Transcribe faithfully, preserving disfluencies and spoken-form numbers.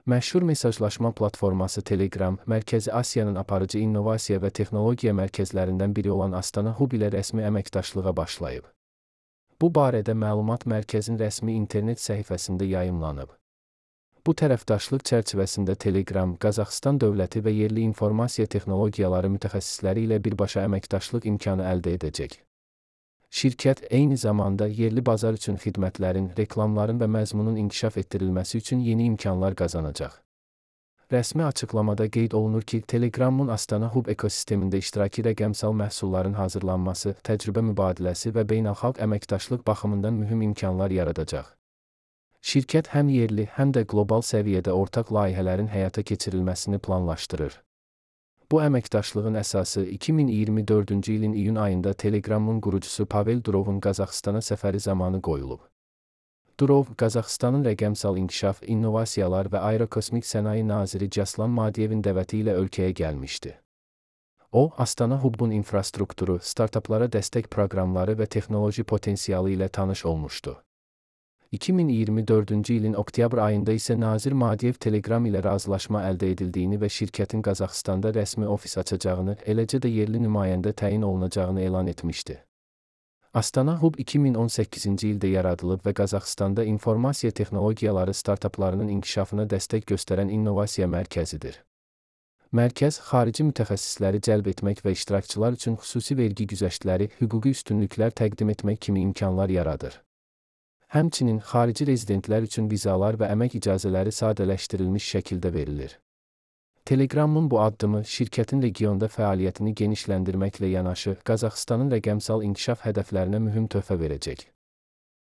Məşhur mesajlaşma platforması Telegram, Mərkəzi Asiyanın aparıcı innovasiya və texnologiya mərkəzlərindən biri olan Astana Hub ilə rəsmi əməkdaşlığa başlayıb. Bu barədə məlumat mərkəzin rəsmi internet səhifəsində yayımlanıb. Bu tərəfdaşlıq çərçivəsində Telegram, Qazaxıstan dövləti və yerli informasiya texnologiyaları mütəxəssisləri ilə birbaşa əməkdaşlıq imkanı əldə edəcək. Şirkət eyni zamanda yerli bazar üçün xidmətlərin, reklamların və məzmunun inkişaf etdirilməsi üçün yeni imkanlar qazanacaq. Rəsmi açıqlamada qeyd olunur ki, Telegramın Astana Hub ekosistemində iştiraki rəqəmsal məhsulların hazırlanması, təcrübə mübadiləsi və beynəlxalq əməkdaşlıq baxımından mühüm imkanlar yaradacaq. Şirkət həm yerli, həm də qlobal səviyyədə ortaq layihələrin həyata keçirilməsini planlaşdırır. Bu əməkdaşlığın əsası iki min iyirmi dördüncü ilin iyun ayında Telegramın qurucusu Pavel Durovun Qazaxıstana səfəri zamanı qoyulub. Durov, Qazaxıstanın rəqəmsal inkişaf, innovasiyalar və aerokosmik sənaye naziri Jaslan Madiyevin dəvəti ilə ölkəyə gəlmişdi. O, Astana Hub'un infrastrukturu, startaplara dəstək proqramları və texnoloji potensialı ilə tanış olmuşdu. iki min iyirmi dördüncü ilin oktyabr ayında isə nazir Madiyev Telegram ilə razılaşma əldə edildiyini və şirkətin Qazaxıstanda rəsmi ofis açacağını, eləcə də yerli nümayəndə təyin olunacağını elan etmişdi. Astana Hub iki min on səkkizinci ildə yaradılıb və Qazaxıstanda informasiya texnologiyaları startaplarının inkişafına dəstək göstərən innovasiya mərkəzidir. Mərkəz, xarici mütəxəssisləri cəlb etmək və iştirakçılar üçün xüsusi vergi güzəştləri, hüquqi üstünlüklər təqdim etmək kimi imkanlar yaradır. Həmçinin xarici rezidentlər üçün vizalar və əmək icazələri sadələşdirilmiş şəkildə verilir. Telegramın bu addımı şirkətin regionda fəaliyyətini genişləndirməklə yanaşı, Qazaxıstanın rəqəmsal inkişaf hədəflərinə mühüm töhfə verəcək.